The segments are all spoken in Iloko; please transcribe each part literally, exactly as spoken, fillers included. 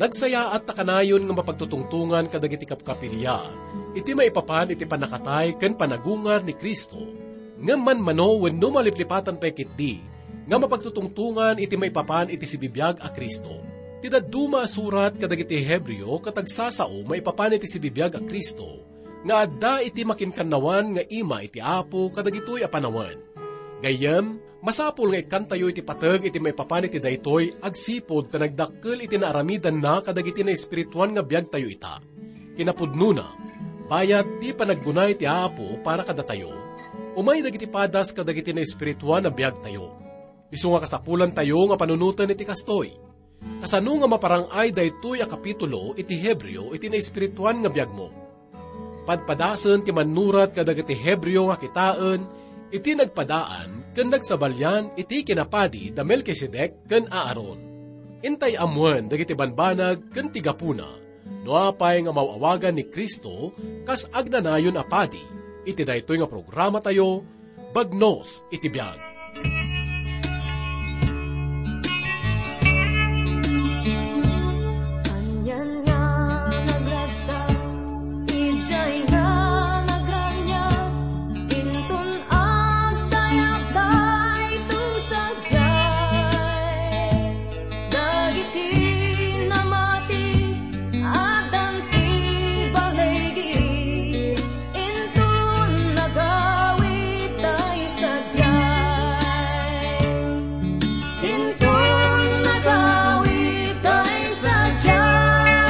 Agsayaat ta kanayon nga mapagtutungtongan kadagiti kapkapilya iti maipapan iti pannakatay ken panagungar ni Cristo, ngem manmano wenno maliplipatan pay ketdi nga mapagtutungtongan iti maipapan iti sibibiag a Cristo. Ti dadduma a surat kadagiti Hebreo ket agsasao maipapan iti sibibiag a Cristo nga adda iti makinkannawan nga ima iti Apo kadagitoy a panawen. Gayyem, masapul nga ikkantayo iti pateg iti maipapan iti daytoy agsipud ta nagdakkel iti naaramidanna kadagiti naespirituan nga biagtayo ita. Kinapudnona, bayat ti panaggunay ti Apo para kadatayo, umay dagiti padas kadagiti naespirituan a biagtayo. Isu nga kasapulantayo nga panunoten iti kastoy. Kasano nga maparang-ay daytoy a kapitulo iti Hebreo iti naespirituan nga biagmo? Padpadasen ti mannurat kadagiti Hebreo nga kitaen iti nagpadaan ken nagsabalian iti kinapadi da Melkisedek ken Aaron. Intay ammoen dagiti banbanag ken ti gapuna, no apay nga maaw-awagan ni Cristo kas agnanayon a padi iti daytoy nga programatayo, Bagnos iti Biag. Anian nga nagragsak, idiay nga nagraniag, inton agdayak daytoy sadiay. Dagiti namati, addan ti baligi, inton nagawid tay sadiay. Inton nagawid tay sadiay,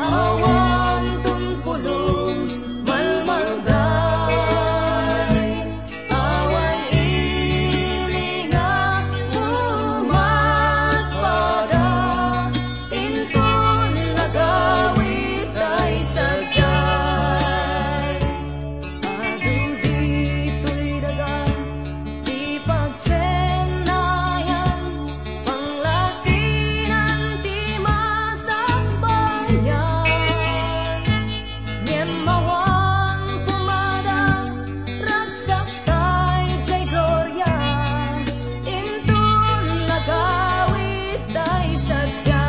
awan ton pulos malmalday. Awan ili nga umatpada, inton nagawid tay sadiay. Adu ditoy daga ti pagsennayan, panglasinan ti masakbayan. Ngem awan kumada, ragsak tay diay gloria, inton nagawid tay sadiay.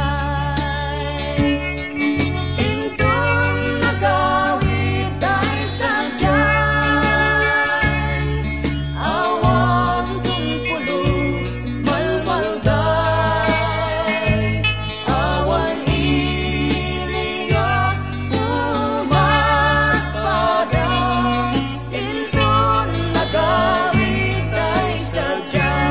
Inton nagawid tay sadiay, awan ton pulos malmalday. Awan ili nga umatpada, inton nagawid tay sadiay.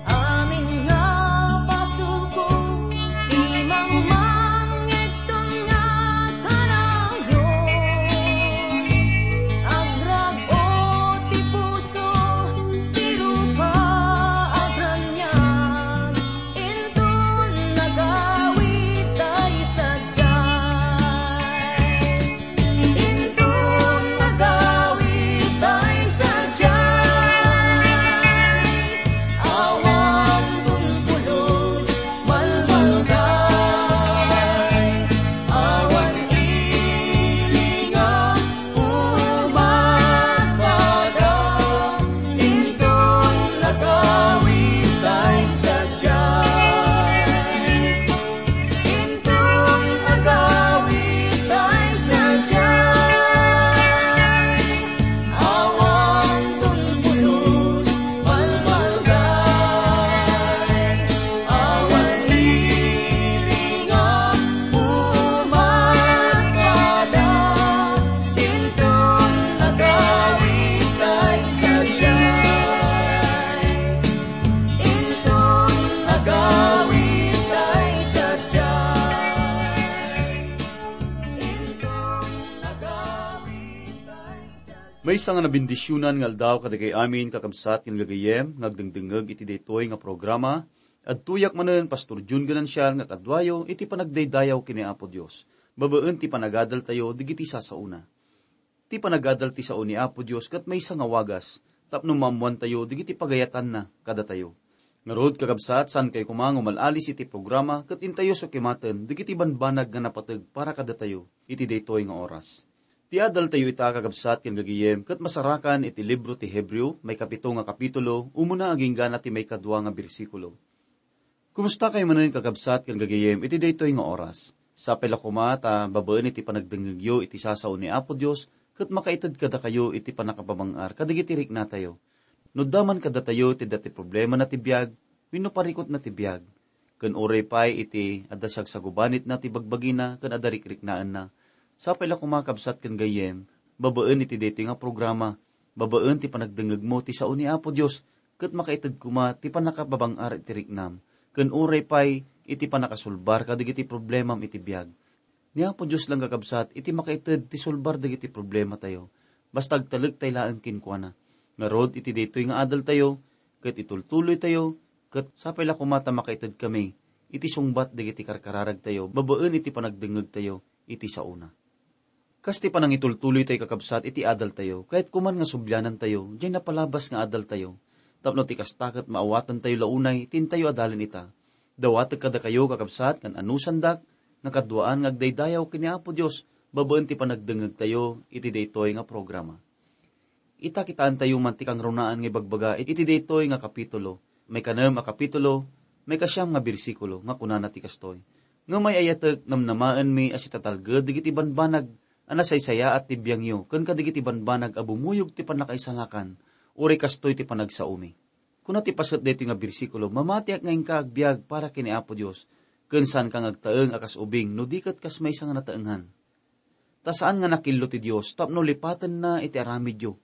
Amin nga pasulko, imangmang ngegton nga kanayon. Agrag-o ti puso, ti rupa agraniag, inton nagawid tay sadiay. Inton nagawid tay sadiay, awan ton pulos malmalday, awan ili nga umatpada, inton nagawid tay sadiay. Inton agawid tay sadiay, awan ton pulos malmalday, awan ili nga umatpada, inton agawid tay sadiay. Inton agawid tay sadiay. Inton agawid tay sadiay. Maysa nga nabendisionan nga aldaw kadagiti amin, kakabsat ken gagayyem, nga agdengdengngeg iti daytoy nga programa. Adtoyak manen, Pastor Jun Ganancial, nga kaduayo iti panagdaydayaw ken ni Apo Dios, babaen ti panagadaltayo dagiti sasaona. Ti panagadal ti sao ni Apo Dios ket maysa nga wagas tapno maammoantayo dagiti pagayatanna kadatayo. Ngarud, kakabsat, saankayo koma nga umal-alis iti programa ket intayo sukimaten dagiti banbanag nga napateg para kadatayo iti daytoy nga oras. Ti adaltayo ita, kakabsat ken gagayem, ket masarakan iti libro ti Hebreo, maikapito nga kapitulo, umuna agingga na ti maikadua nga bersikulo. Kumusta kayo manen, kakabsat ken gagayem, iti daytoy nga oras? Sapay la koma ta babaen iti panagdengngegyo iti sasao ni Apo Dios ket makaited kadakayo iti pannakababang-ar kadagiti riknatayo. No adda man kadatayo ti dati problemana ti biag wenno parikutna ti biag, ken uray pay iti adda sagsagubanitna ti bagbagina ken adda rikriknaenna, sapay la koma, kabsat ken gayyem, babaen iti daytoy nga programa, babaen ti panagdengngegmo ti sao ni Apo Dios, ket makaited koma ti pannakababang-ar iti riknam, ken uray pay iti pannakasulbar kadagiti problemam iti biag. Ni Apo Dios lang, kakabsat, iti makaited ti sulbar dagiti problematayo, basta agtalek tay laeng kenkuana. Ngarud, iti daytoy nga adaltayo, ket itultuloytayo, ket sapay la koma ta makaited kami iti sungbat dagiti karkararagtayo babaen iti panagdengngegtayo iti saona. Kas ti panangitultuloytayo, kakabsat, iti adaltayo, kayatko man nga sublianantayo diay napalabas nga adaltayo, tapno ti kasta ket maawatentayo la unay ti intayo adalen ita. Dawatek kadakayo, kakabsat, ngan anusandak nga kaduaan nga agdaydayaw ken ni Apo Dios babaen ti panagdengngegtayo iti daytoy nga programa. Ita, kitaentayo man ti kangrunaan nga ibagbaga iti daytoy nga kapitulo. Maikanem a kapitulo, maikasiam nga bersikulo, nga kunana ti kastoy, "Ngem ay-ayatek, namnamaenmi a sitatalged dagiti banbanag a nasaysayaat ti biangyo ken kadagiti banbanag a bumuyog ti pannakaisalakan, uray kastoy ti panagsaomi." Kuna ti paset daytoy nga bersikulo, "Mamatiak nga inka agbiag para ken ni Apo Dios, ken saanka nga agtaeng a kas ubing no di ket kas maysa nga nataengan." Ta saan nga nakillo ti Dios tapno lipatenna iti aramidyo,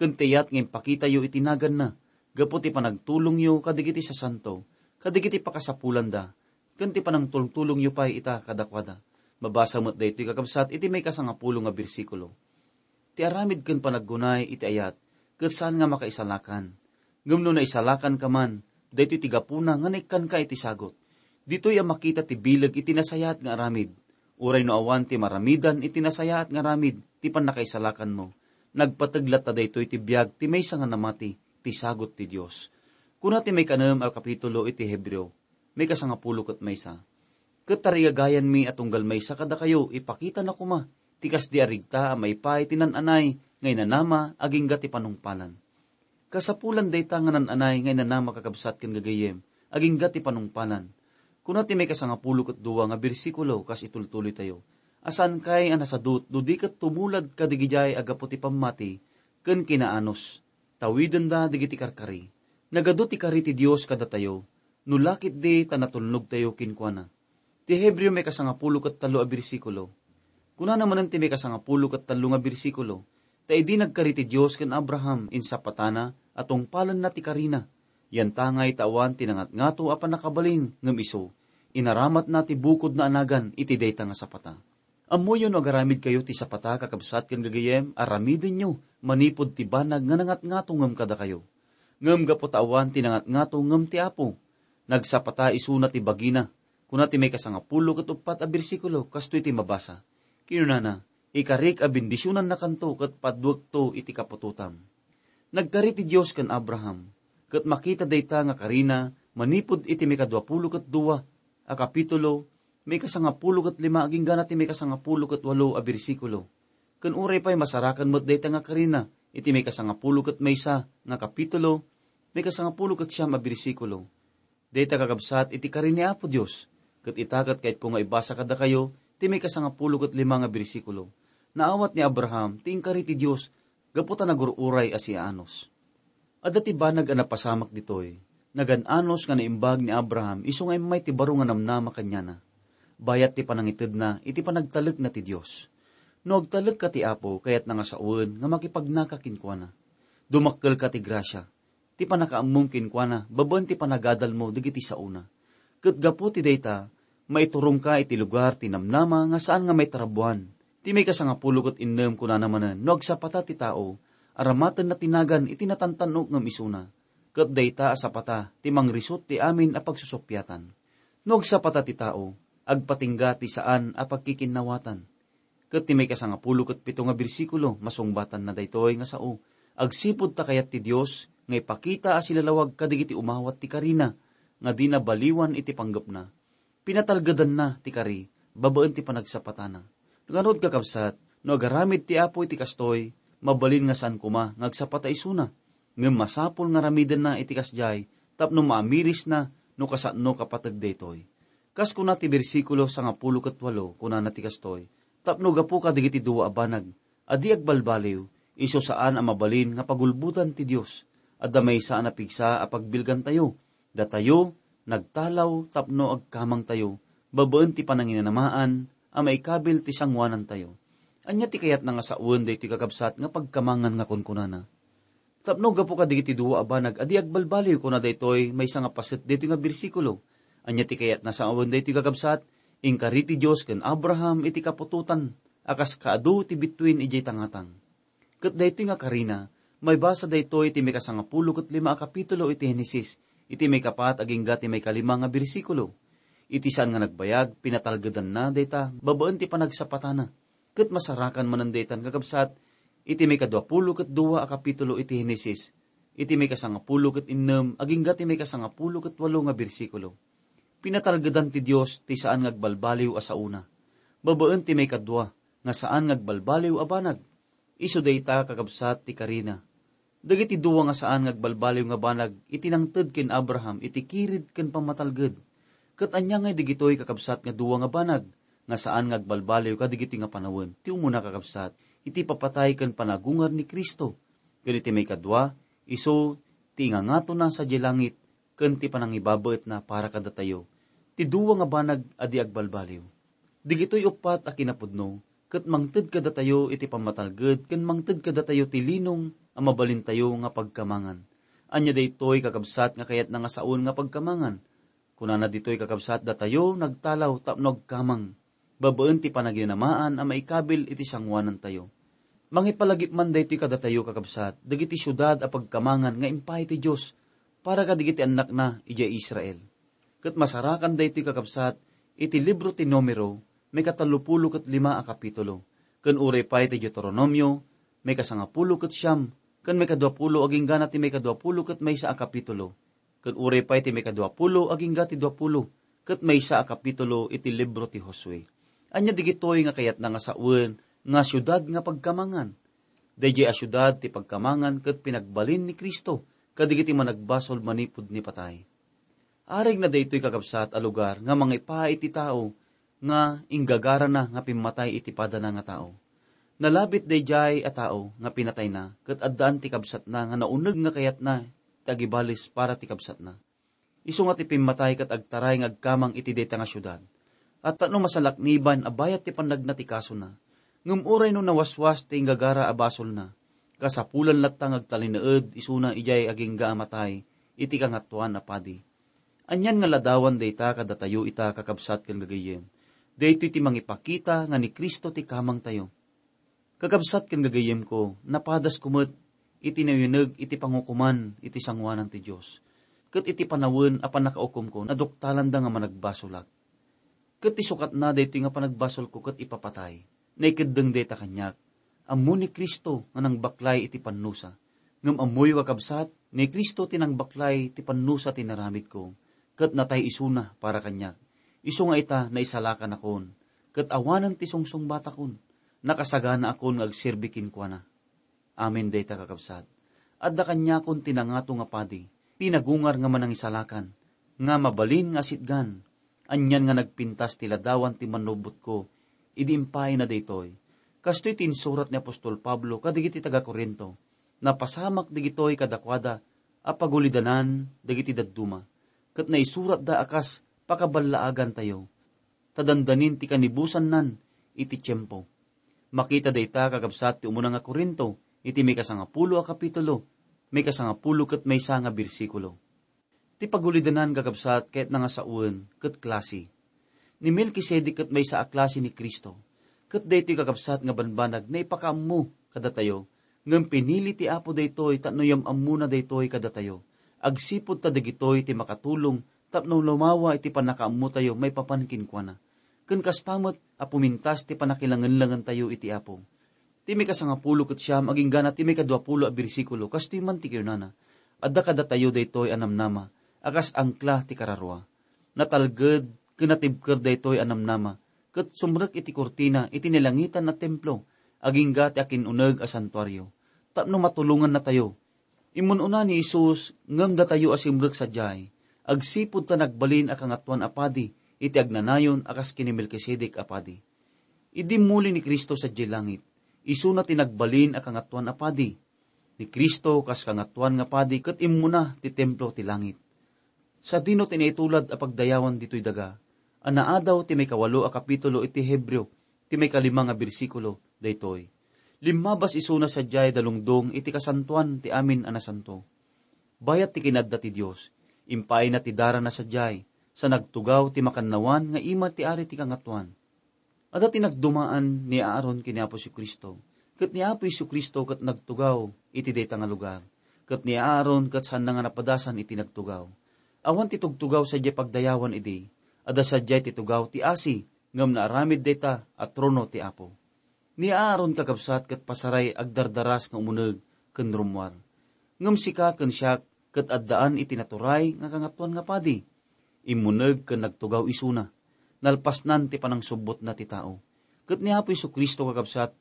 ken ti ayat nga impakitayo iti naganna gapu ti panagtulongyo kadagiti sasanto, kadagiti pakasapulanda, ken ti panangtultulongyo pay ita kadakuada. Mabasa met daytoy, kakabsat, iti maikasangapulo nga bersikulo. Ti aramid ken panaggunay iti ayat, ket saan nga makaisalakan. Ngem no naisalakanka man, daytoy ti gapuna nga naikkanka iti sagot. Ditoy a makita ti bileg iti nasayaat nga aramid. Uray no awan ti maramidan iti nasayaat nga aramid ti pannakaisalakanmo, nagpateg latta daytoy ti biag ti maysa nga namati, ti sagot ti Dios. Kuna ti maikanem a kapitulo iti Hebreo, maikasangapulo ket maysa, "Ket tarigagayanmi a tunggal maysa kadakayo, ipakitana koma ti kasdi a rigta a maipaay ti nan-anay nga inanama agingga ti panungpalan." Kasapulan dayta nga nan-anay nga inanama, kakabsat ken gagayyem, agingga ti panungpalan. Kuna ti maikasangapulo ket dua nga bersikulo kas itultuloytayo, "A saankay a nasadut no di ket tumulad kadagidiay a gapu ti pammati ken kinaanus. Tawidenda dagiti karkari. Nagadu ti kari ti Dios kadatayo, no la ketdi ta natulnogtayo kenkuana." Ti Hebreo maikasangapulo ket tallo a bersikulo. Kunana manen ti maikasangapulo ket tallo nga bersikulo, "Ta idi nagkari ti Dios ken Abraham, insapatana a tungpalenna ti karina. Yantangay ta awan ti nangatngato a pannakabalin ngem isu, inaramatna ti bukodna a nagan iti dayta nga sapata." Ammoyo no agaramidkayo ti sapata, kakabsat ken gagayyem, aramidenyo manipud ti banag nga nangatngato ngem kadakayo. Ngem gapu ta awan ti nangatngato ngem ti Apo, nagsapata isuna ti bagina. Kuna ti maikasangapulo ket uppat a bersikulo, kastoy ti mabasa. Kinunana, "Ikarik a bendisionannakanto ket paduekto iti kaputotam." Nagkari ti Dios ken Abraham, ket makita dayta nga karina manipud iti maikaduapulo ket dua a kapitulo, maikasangapulo ket lima agingga na ti maikasangapulo ket walo a bersikulo. Ken uray pay masarakan met dayta nga karina iti maikasangapulo ket maysa nga kapitulo, maikasangapulo ket siam a bersikulo. Dayta, kakabsat, iti kari ni Apo Dios, ket ita ket kayatko nga ibasa kadakayo ti maikasangapulo ket lima nga bersikulo. Naawat ni Abraham ti inkari ti Dios gapu ta nagur-uray a siaanus. Adda ti banag a napasamak ditoy. Nagan-anus nga naimbag ni Abraham isu nga immay ti baro nga namnama kaniana, bayat ti panangitedna iti panagtalekna ti Dios. No agtalekka ti Apo, kayatna nga sawen nga makipagnaka kenkuana. Dumakkelka ti grasia, ti pannakaammom kenkuana babaen ti panagadalmo dagiti saona. Ket gapu ti dayta, maiturongka iti lugar ti namnama nga saan nga maitrabuan. Ti maikasangapulo ket innem kunana manen, "No agsapata ti tao, aramatenna ti nagan iti natantan-ok ngem isuna. Ket dayta a sapata ti mangrisut ti amin a pagsusuppiatan. No agsapata ti tao, agpatingga ti saan a pagkikinnawatan. Ket ti maikasangapulo ket pito nga bersikulo, masungbatanna daytoy nga sao, agsipud ta kayat ti Dios nga ipakita a silalawag kadagiti umawat ti karina nga dina baliwan iti panggepna. Pinatalgedanna ti kari babaen ti panagsapatana. Ngarud, kakabsat, no agaramid ti Apo iti kastoy, mabalin nga saan koma nga agsapata isuna. Ngem masapul nga aramidenna iti kasdiay tapno maamirisna no kasano kapateg daytoy. Kas kuna ti bersikulo sangapulo ket walo, kunana ti kastoy, "Tapno gapu kadagiti dua a banag a di agbalbaliw, isu saan a mabalin nga pagulbodan ti Dios. Adda maysa a napigsa a pagbilgantayo. Datayo nagtalaw tapno agkamangtayo babaen ti pananginamaan a maikabil ti sangoanantayo." Ania ti kayatna nga sawen daytoy, kakabsat, nga pagkamangan nga kunkunana? Tapno gapu kadagiti dua a banag a di agbalbaliw, kuna daytoy maysa nga paset daytoy nga bersikulo. Ania ti kayatna sawen daytoy, kakabsat? Inkari ti Dios ken Abraham iti kaputotan a kas kaadu ti bituen idiay tangatang. Ket daytoy nga karina, maibasa daytoy iti maikasangapulo ket lima a kapitulo iti Henesis, iti maikapat agingga ti maikalima nga bersikulo. Iti saan nga nagbayag, pinatalgedanna dayta babaen ti panagsapatana. Ket masarakan manen daytan, kakabsat, iti maikaduapulo ket dua a kapitulo iti Henesis, iti maikasangapulo ket innem agingga ti maikasangapulo ket walo nga bersikulo. Pinatalgedan ti Dios ti saan nga agbalbaliw a saona, babaen ti maikadua nga saan nga agbalbaliw a banag. Isu dayta, kakabsat, ti karina. Dagiti dua nga saan nga agbalbaliw nga banag iti nangted ken Abraham iti kired ken pammatalged. Ket ania ngay dagitoy, kakabsat, nga dua nga banag nga saan nga agbalbaliw kadagitoy nga panawen? Ti umuna, kakabsat, iti papatay ken panagungar ni Cristo. Ken iti maikadua, isu ti ingangatona sadiay langit ken ti panangibabaetna para kadatayo, ti dua nga banag a di agbalbaliw. Dagitoy uppat a kinapudno ket mangted kadatayo iti pammatalged ken mangted kadatayo ti linong a mabalintayo nga pagkamangan. Ania daytoy, kakabsat, nga kayatna nga sawen nga pagkamangan? Kunana ditoy, kakabsat, datayo nagtalaw tapno agkamang babaen ti panaginamaan a maikabil iti sangoanantayo. Mangipalagip man daytoy kadatayo, kakabsat, dagiti siudad a pagkamangan nga impaay ti Dios para kadagiti annakna idiay Israel. Ket masarakan daytoy, kakabsat, iti libro ti Numero, maikatallopulo ket lima a kapitulo, ken uray pay ti Deuteronomio, maikasangapulo ket siam, ken maikaduapulo agingga ti maikaduapulo ket maysa a kapitulo, ken uray pay ti maikaduapulo agingga ti duapulo ket maysa a kapitulo iti libro ti Josue. Ania dagitoy nga kayatna nga sawen nga siudad nga pagkamangan? Daydiay a siudad ti pagkamangan ket pinagbalin ni Cristo kadagiti managbasol manipud ni patay. Arigna daytoy, kakabsat, a lugar nga mangipaay iti tao nga inggagarana nga pimmatay iti padana nga tao. Nalabit daydiay a tao nga pinatayna ket addaan ti kabsatna nga nauneg nga kayatna ti agibalis para ti kabsatna. Isu nga ti pimmatay ket agtaray nga agkamang iti dayta nga siudad. At no masalakniban a bayat ti pannagna ti kasona, ngem uray no nawaswas ti inggagara a basolna, kasapulan latta nga agtalinaed isuna idiay agingga a matay iti Kangatoan a Padi. Anian nga ladawan dayta kadatayo ita, kakabsat ken gagayyem? Daytoy ti mangipakita nga ni Cristo ti kamangtayo. Kakabsat ken gagayyemko, napadasko met iti nauyuneg iti pangukoman iti sangoanan ti Dios. Ket iti panawen a pannakaukomko, naduktalanda nga managbasolak. Ket ti sukatna daytoy nga panagbasolko ket ipapatay. Naikeddeng dayta kaniak. Ammo ni Cristo nga nangbaklay iti pannusa. Ngem ammoyo, kakabsat, ni Cristo ti nangbaklay ti pannusa ti naramidko, ket natay isuna para kaniak. Isu nga ita, naisalakanakon, ket awanen ti sungsungbatakon, nakasaganaakon nga agserbi kenkuana. Amin dayta, kakabsat. Adda kaniakon ti nangato nga padi, ti nagungar nga manangisalakan, nga mabalin nga asitgan. Anian nga nagpintas ti ladawan ti mannubotko idi impaayna daytoy. Kastoy ti insurat ni apostol Pablo kadagiti taga-Corinto, "Napasamak dagitoy kadakuada a pagulidanan dagiti dadduma, ket naisuratda a kas pakaballaagantayo, ta dandanin ti kanibusannan iti tiempo." Makita dayta, kakabsat, ti umuna nga Corinto, iti maikasangapulo a kapitulo, maikasangapulo ket maysa nga bersikulo. Ti pagulidanan, kakabsat, kayatna nga sawen ket klase. Ni Melkisedek ket maysa a klase ni Cristo. Ket daytoy, kakabsat, nga banbanag naipakaammo kadatayo, ngem pinili ti Apo daytoy tapno yam-ammona daytoy kadatayo. agsipud ta dagitoy ti makatulong tapno lumawa iti pannakaammotayo maipapan kenkuana. Ken kasta met a pumintas ti pannakilangenlangentayo iti Apo. Ti maikasangapulo ket siam agingga na ti maikaduapulo a bersikulo, kastoy man ti kinunana, "Adda kadatayo daytoy a namnama a kas angkla ti kararua. Natalged ken natibker daytoy a namnama, ket sumrek iti kurtina iti nalangitan a templo, agingga ti akin-uneg a santuario, tapno matulongannatayo." Immun-una ni Jesus ngem datayo a simrek sadiay, agsipud ta nagbalin a kangatoan a padi iti agnanayon a kas ken ni Melkisedek a padi. Idi muli ni Cristo sadiay langit, isuna ti nagbalin a kangatoan a padi. Ni Cristo kas kangatoan nga padi ket immuna ti templo ti langit. Sadino ti naitulad a pagdayawan ditoy daga a naadaw ti maikawalo a kapitulo iti Hebreo, ti maikalima nga bersikulo daytoy. Limmabas isuna sadiay dalungdong iti kasantoan ti amin a nasanto. Bayat ti kinadda ti Dios, impaayna ti darana sadiay, sa nagtugaw ti makannawan nga ima ti ari ti kangatoan. Adda ti nagdumaan ni Aaron ken ni Apo Jesu-Cristo, ket ni Apo Jesu-Cristo ket nagtugaw iti dayta nga lugar, ket ni Aaron ket saanna nga napadasan iti nagtugaw. Awan ti tugtugaw sadiay pagdayawan idi, adda sadiay ti tugaw ti asi, ngem naaramid dayta a trono ti Apo. Ni Aaron kakabsat ket pasaray agdardaras nga umuneg ken rummuar. Ngem sika ken siak ket addaan iti naturay nga kangatoan nga padi. Immuneg ken nagtugaw isuna. Nalpasnan ti panangsubbotna ti tao. Ket ni Apo Jesu-Cristo kakabsat,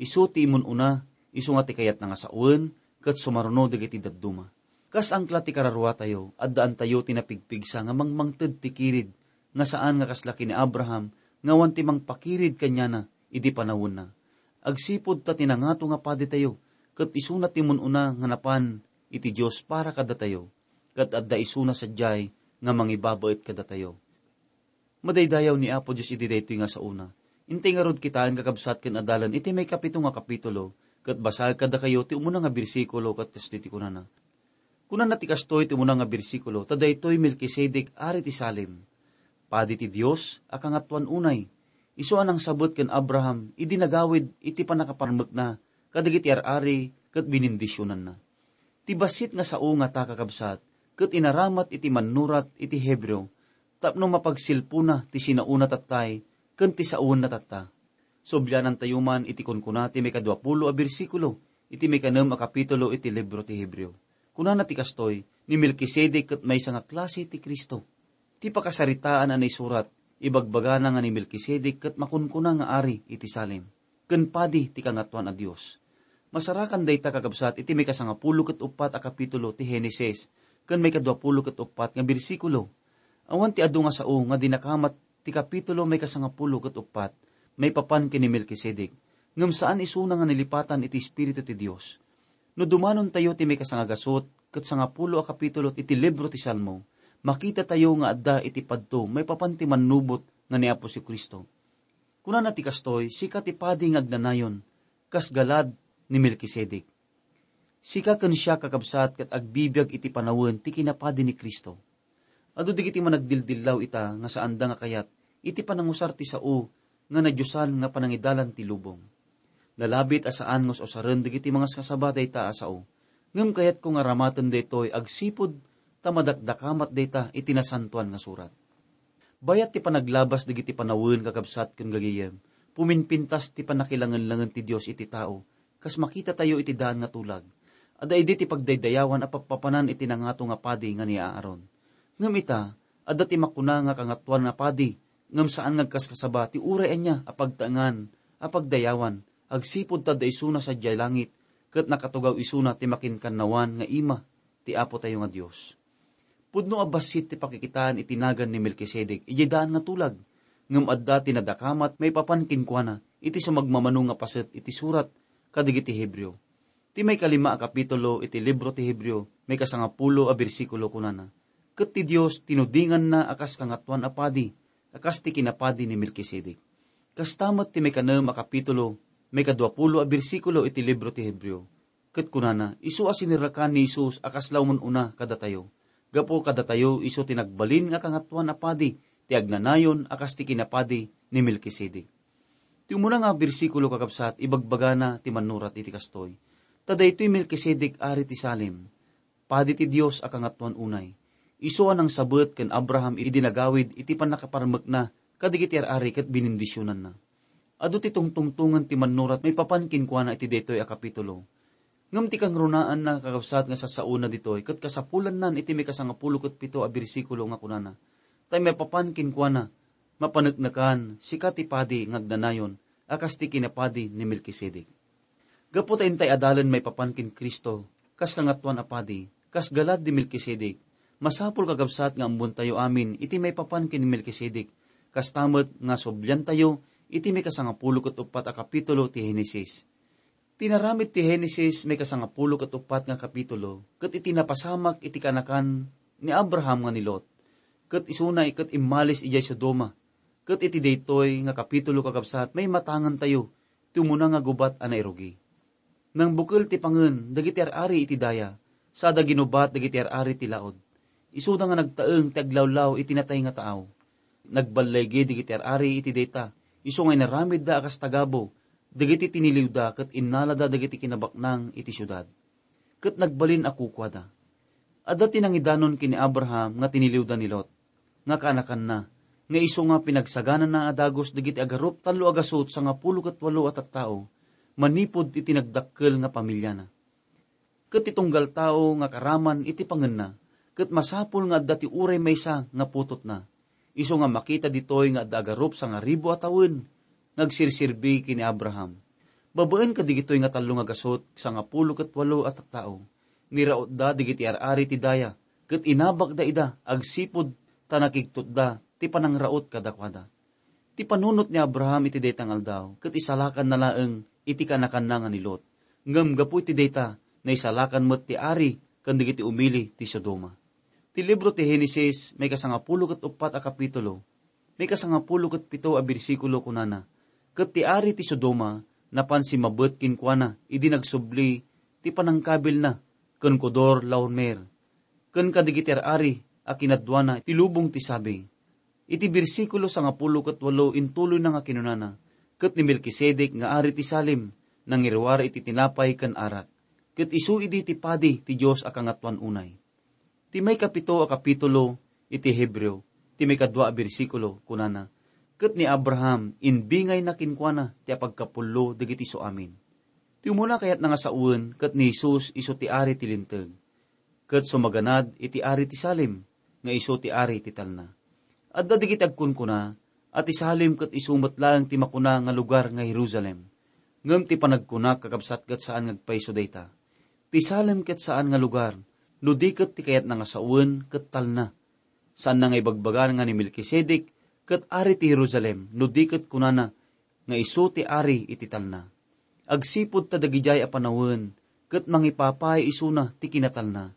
isu ti immun-una, isu nga ti kayatna nga sawen, ket sumaruno dagiti dadduma. Kas angkla ti kararuatayo, addaantayo ti napigpigsa nga mangmangted ti kirid, nga saan nga kasla ken ni Abraham, nga awan ti mangpakirid kaniana idi panawenna. Agsipud ta ti nangato nga paditayo, ket isuna ti immun-una nga napan iti Dios para kadatayo, ket adda isuna sadiay nga mangibabaet kadatayo. Madaydayaw ni Apo Dios iti daytoy nga saona. Intay ngarud kitaen, kakabsat ken adalan, iti maikapito nga kapitulo, ket basaek kadakayo ti umuna nga bersikulo ket kastoy ti kunana. Kunana ti kastoy ti umuna nga bersikulo, "Ta daytoy Melkisedek, ari ti Salem, padi ti Dios a kangatoan unay, isu a nangsabet ken Abraham idi nagawid iti pannakaparmekna kadagiti ar-ari ket binindisionanna." Ti bassit nga sao ngata, kakabsat, ket inaramat iti mannurat iti Hebreo tapno mapagsilpona ti sinaona tattay ken ti sawenna tatta. Sublianantayo man iti kunkuna ti maikaduapulo a bersikulo iti maikanem a kapitulo iti libro ti Hebreo. Kunana ti kastoy, "Ni Melkisedek ket maysa nga klase ti Cristo." Ti pakasaritaan a naisurat, ibagbagana nga ni Melkisedek ket makunkuna nga ari iti Salem, ken padi ti Kangatoan a Dios. Masarakan dayta, kakabsat, iti maikasangapulo ket uppat a kapitulo ti Henesis, ken maikaduapulo ket uppat nga bersikulo. Awan ti adu nga sao nga dinakamat ti kapitulo maikasangapulo ket uppat maipapan ken ni Melkisedek, ngem saan isuna nga nalipatan iti Espiritu ti Dios. No dumanontayo ti maikasangagasut ket sangapulo a kapitulo iti libro ti Salmo, makitatayo nga adda iti padto maipapan ti mannubot nga ni Apo Jesu-Cristo. Kunana ti kastoy, "Sika ti padi nga agnanayon, kas galad ni Melkisedek." Sika ken siak, kakabsat, ket agbibiag iti panawen ti kinapadi ni Cristo. Adu dagiti managdildillaw ita nga saanda nga kayat iti panangusar ti sao nga nadiosan nga panangidalan ti lubong. Nalabit a saan nga us-usaren dagiti mangaskasaba dayta a sao, ngem kayatko nga aramaten daytoy agsipud ta madakdakamat dayta iti Nasantoan nga Surat. Bayat ti panaglabas dagiti panawen, kakabsat ken gagayem, puminpintas ti pannakilangenlangen ti Dios iti tao, kas makitatayo iti daan nga tulag. Adda idi ti pagdaydayawan a pappapanan iti nangato nga padi nga ni Aaron. Ngem ita, adda ti makuna nga kangatoan nga padi, ngem saan nga agkaskasaba ti uray ania a pagtaengan a pagdayawan, agsipud ta adda isuna sadiay langit, ket nakatugaw isuna ti makinkannawan nga ima ti Apotayo nga Dios. Pudno a bassit ti pakikitaan iti nagan ni Melkisedek idiay daan nga tulag, ngem adda ti nadakamat maipapan kenkuana iti sumagmamano nga paset iti surat kadagiti Hebreo. Ti maikalima a kapitulo iti libro ti Hebreo, maikasangapulo a bersikulo, kunana, "Ket ti Dios tinudinganna a kas kangatoan a padi, a kas ti kinapadi ni Melkisedek." Kasta met ti maikanem a kapitulo, maikaduapulo a bersikulo iti libro ti Hebreo. Ket kunana, isu a sinerrekan ni Jesus a kasla umun-una kadatayo. Gapu kadatayo, isu ti nagbalin nga kangatoan a padi ti agnanayon a kas ti kinapadi ni Melkisedek. Ti umuna nga bersikulo, kakabsat, ibagbagana ti mannurat iti kastoy, "Ta daytoy Melkisedek, ari ti Salem, Padi ti Dios a Kangatoan unay. Isu a nangsabet ken Abraham idi nagawid iti pannakaparmekna kadagiti ar-ari ket binindisionanna. Adu ti tungtungtongen ti mannurat maipapan kenkuana iti daytoy a kapitulo. Ngem ti kangrunaanna nga kakabsat nga sassaona ditoy ket kasapulannan iti maikasangapulo ket pito a bersikulo nga kunana, tay maipapan kenkuana, mapaneknekan, sika ti padi nga agnanayon a kas ti kinapadi ni Melkisedek. Gapu ta intay adalen maipapan ken Cristo, kas kangatoan a padi, kas galad ni Melkisedek, masapul kakabsat nga ammontayo amin iti maipapan ken ni Melkisedek, kasta met nga subliantayo iti maikasangapulo ket uppat a kapitulo ti Henesis. Ti naramid ti Henesis maikasangapulo ket uppat nga kapitulo, ket iti napasamak iti kaanakan ni Abraham nga ni Lot, ket isuna ket immalis idiay Sodoma, ket iti daytoy nga kapitulo kakabsat maimatangentayo ti umuna nga gubat a nairugi. Nangbukel ti pangen dagiti ar-ari iti daya, sada ginubat dagiti ar-ari ti laud. Isuda nga nagtaeng ti aglawlaw iti natay nga taaw. Nagballigi dagiti ar-ari iti dayta, isu nga inaramidda a kas tagabu dagiti tiniliwda ket innalada dagiti kinabaknang iti siudad. Ket nagbalin a kukuada. Adda ti nangidanon ken ni Abraham nga tiniliwda ni Lot, nga kaanakanna, nga isu nga pinagsaganana a dagus dagiti agarup tallo a gasut sangapulo ket walo a tattao, manipud iti nagdakkel nga pamiliana. Ket ti tunggal tao nga karaman iti pangenna, ket masapul nga adda ti uray maysa nga putotna. Isu nga makita ditoy nga adda agarup sangaribu a tawen nga agsirserbi ken ni Abraham. Babaen kadigitoy nga tallo nga gasut sangapulo ket walo a tattao, nirautda dagiti ar-ari ti daya, ket inabakda ida agsipud ta nakigtotda ti panangraut kadakuada. Ti panunot ni Abraham iti dayta nga aldaw ket isalakanna laeng iti kaanakanna nga ni Lot. Ngem gapu iti dayta, naisalakan met ti ari ken dagiti umili ti Sodoma. Ti libro ti Henesis, maikasangapulo ket uppat a kapitulo, maikasangapulo ket pito a bersikulo kunana, ket ti ari ti Sodoma napan simmabet kenkuana idi nagsubli ti panangkabilna ken Codor-laomer, ken kadagiti ar-ari a kinaduana ti lubong ti sabi. Iti bersikulo sangapulo ket walo intuloyna nga kinunana, ket ni Melkisedek nga ari ti Salem, nangiruar iti tinapay ken arak, ket isu idi ti padi ti Dios a Kangatoan unay. Ti maikapito a kapitulo iti Hebreo, ti maikadua a bersikulo, kunana, ket ni Abraham, imbingayna kenkuana ti apagkapullo dagiti suamin. Ti umuna kayatna nga sawen ket ni Jesus isu ti ari ti Linteg. Ket sumaganad iti ari ti Salem, nga isu ti ari ti talna. Adda dagiti agkunkuna a ti Salem ket isu met laeng ti makuna nga lugar nga Jerusalem. Ngem ti panagkunak, kakabsat, ket saan nga agpayso dayta. Ti Salem ket saan nga lugar, no di ket ti kayatna nga sawen ket talna. Saanna nga ibagbaga nga ni Melkisedek ket ari ti Jerusalem, no di ket kunana nga isu ti ari iti talna. Agsipud ta dagidiay a panawen ket mangipapay isuna ti kinatalna.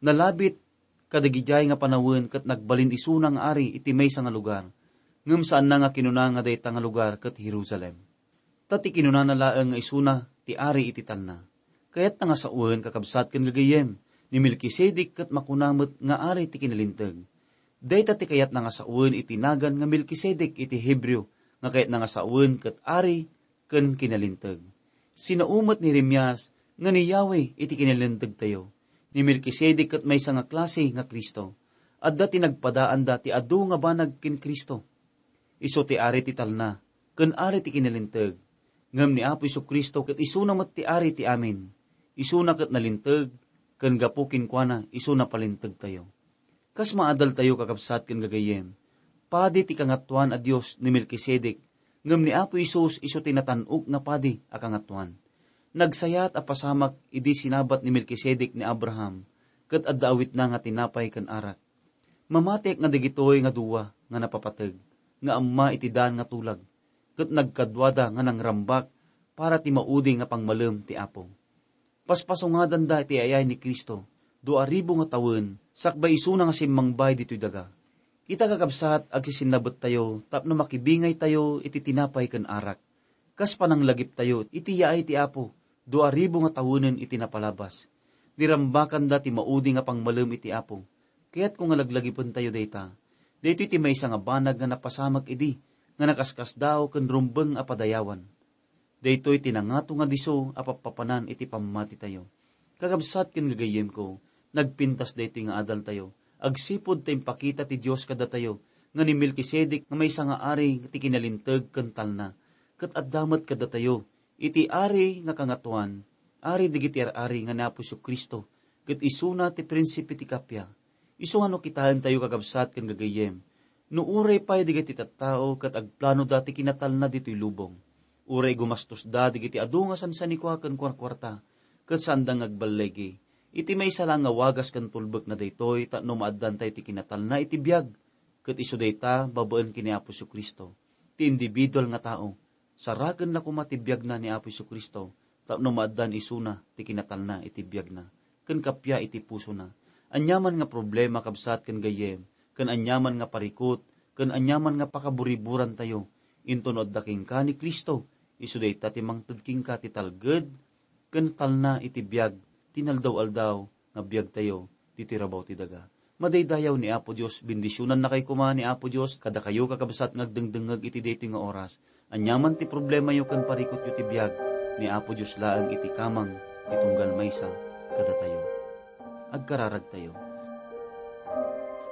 Nalabit kadagidiay nga panawen ket nagbalin isuna nga ari iti maysa nga lugar, ngem saanna nga kinuna nga dayta nga lugar ket Jerusalem. Ta ti kinunana laeng nga isuna ti ari iti talna. Kayatna nga sawen, kakabsat ken gagayyem, ni Melkisedek ket makuna met nga ari ti kinalinteg. Dayta ti kayatna nga sawen iti nagan nga Melkisedek iti Hebreo, nga kayatna nga sawen ket ari ken kinalinteg. Sinao met ni Jeremias nga ni Yahweh iti kinalintegtayo. Ni Melkisedek ket maysa nga klase nga Cristo. Adda ti nagpadaanda ti adu nga banag ken Cristo. Isu ti ari ti talna, ken ari ti kinalinteg. Ngem ni Apo Jesu-Cristo ket isuna met ti ari ti amin. Isuna ket nalinteg, ken gapu kenkuana, isu napalintegtayo. Kas maadaltayo, kakabsat ken gagayyem, padi ti kangatoan a Dios ni Melkisedek, ngem ni Apo Jesus isu ti natan-ok nga padi a kangatoan. Nagsayat a pasamak idi sinabat ni Melkisedek ni Abraham, ket adda awitna nga tinapay ken arak. Mamatiek nga dagitoy nga dua nga napapateg nga amma iti daan nga tulag, ket nagkaduada nga nangrambak para ti maudi nga pangmalem ti Apo. Paspasungadanda ti ay-ay ni Cristo, dua ribu nga tawen, sakbay isuna nga simmangbay ditoy daga. Ita, kakabsat, agsisinnabettayo tapno makibingaytayo iti tinapay ken arak, kas pananglagiptayo iti yaay ti Apo, dua ribu nga tawenen iti napalabas. Nirambakanda ti maudi nga pangmalem iti Apo. Kayatko nga laglagipentayo dayta. Daytoy ti maysa nga banag nga napasamak idi, nga nakaskasdaaw ken rumbeng a padayawan. Daytoy ti nangato nga disso a pappapanan iti pammatitayo. Kakabsat ken gagayyemko, Nagpintas daytoy nga adaltayo agsipud ta impakita ti Dios kadatayo nga ni Melkisedek nga maysa nga ari ti kinalinteg ken talna, ket adda met kadatayo iti ari nga kangatoan, ari dagiti ar-ari nga ni Apo Jesu-Cristo, ket isuna ti prinsipe ti kappia. Isu nga no kitaentayo, kakabsat ken gagayyem, no uray pay dagiti tattao ket agplanoda ti kinatalna ditoy lubong, uray gumastosda dagiti adu nga sansanikua ken kuarkuarta, ket saanda nga agballigi, iti maysa la nga wagas ken tulbekna daytoy tapno maaddantayo ti kinatalna iti biag, ket isu dayta babaen ken ni Apo Jesu-Cristo. Ti individual nga tao, sarakenna koma ti biagna ni Apo Jesu-Cristo tapno maaddan isuna ti kinatalna iti biagna ken kappia iti pusona. Aniaman nga problema, kabsat ken gayyem, ken aniaman nga parikut, ken aniaman nga pakaburiburantayo, inton no adda kenka ni Cristo, isu dayta ti mangted kenka ti talged ken talna iti biag ti naldaw-aldaw nga biagtayo ditoy rabaw ti daga. Madaydayaw ni Apo Dios, bendisionannakay koma ni Apo Dios kadakayo, kakabsat nga agdengdengngeg iti daytoy nga oras. Aniaman ti problemayo ken parikutyo ti biag, ni Apo Dios laeng iti kamang ti tunggal maysa kadatayo. Agkararagtayo.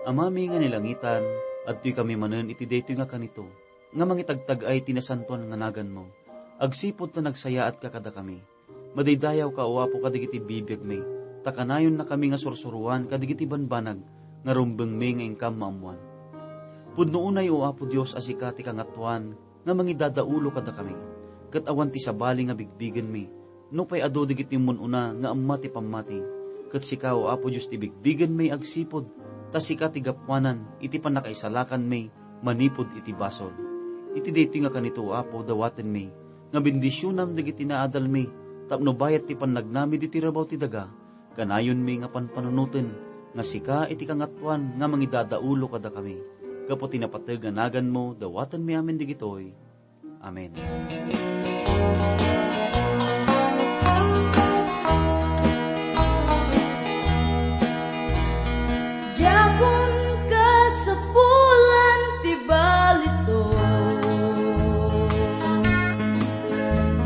Amami nga ni langitan, adtoykami manen iti daytoy nga kanito, nga mangitagtag-ay ti nasantoan nga naganmo, agsipud ta nagsayaatka kadakami. Madaydayawka, O Apo, kadagiti bibiagmi, ta kanayonnakami nga sursuroan kadagiti banbanag nga rumbengmi nga inkam maammoan. Pudno unay, O Apo Dios, a sika ti Kangatoan nga mangidadaulo kadakami, ket awan ti sabali nga bigbigenmi, nupay adu dagiti ummun-una nga amma ti pammati. Ket sika, O Apo Dios, ti bigbigenmi agsipud ta sika ti gapuanan iti pannakaisalakanmi manipud iti basol. Iti daytoy nga kanito, O Apo, dawatenmi nga bendisionam dagiti naadalmi tapno bayat ti pannagnami ditoy rabaw ti daga, kanayonmi nga panpanunoten nga sika iti Kangatoan nga mangidadaulo kadakami. Gapu ti napateg a naganmo, dawatenmi amin dagitoy. Amen. Diakon kasapulan ti balito,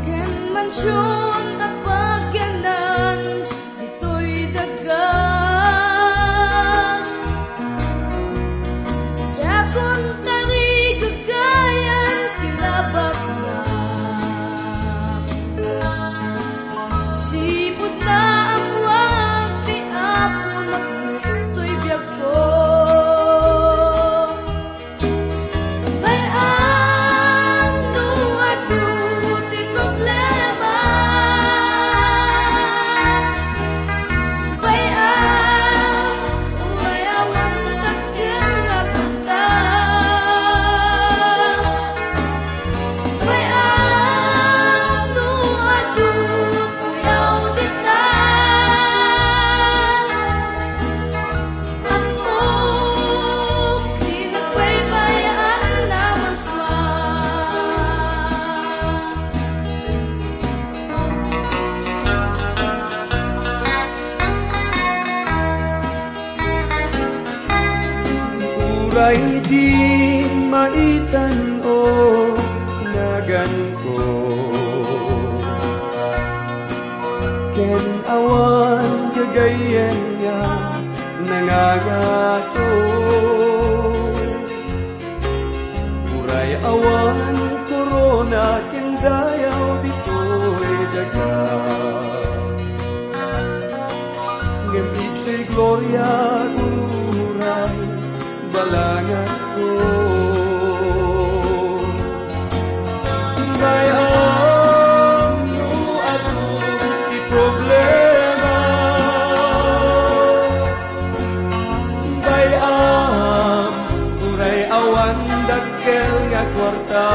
ken mansion a pagyanan ditoy daga. Diakon tarigagayan ti nabatna. Sipud naammoak ti Apo nakditoy biagko. Bay-am no adu ti problema. Bay-am, uray awan dakkel nga kwarta. Bay-am no adu, uyaw dita. Ammok ti nagbaybay-an a marsua. Uray di maitan-o naganko, ken awan gagayyem nga nangangato. Uray awan korona ken dayaw ditoy daga, ngem itoy gloria uray balanganko. Bay-am no adu ti problema. Bay-am, uray awan dakkel nga kuarta.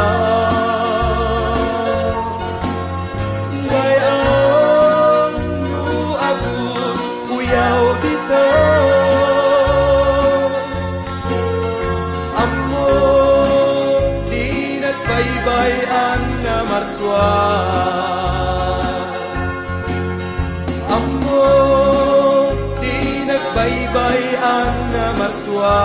Bay-am, no adu, uyaw dita. Ammok ti nagbaybay-an a marsua. Ammok ti nagbaybay-an a marsua.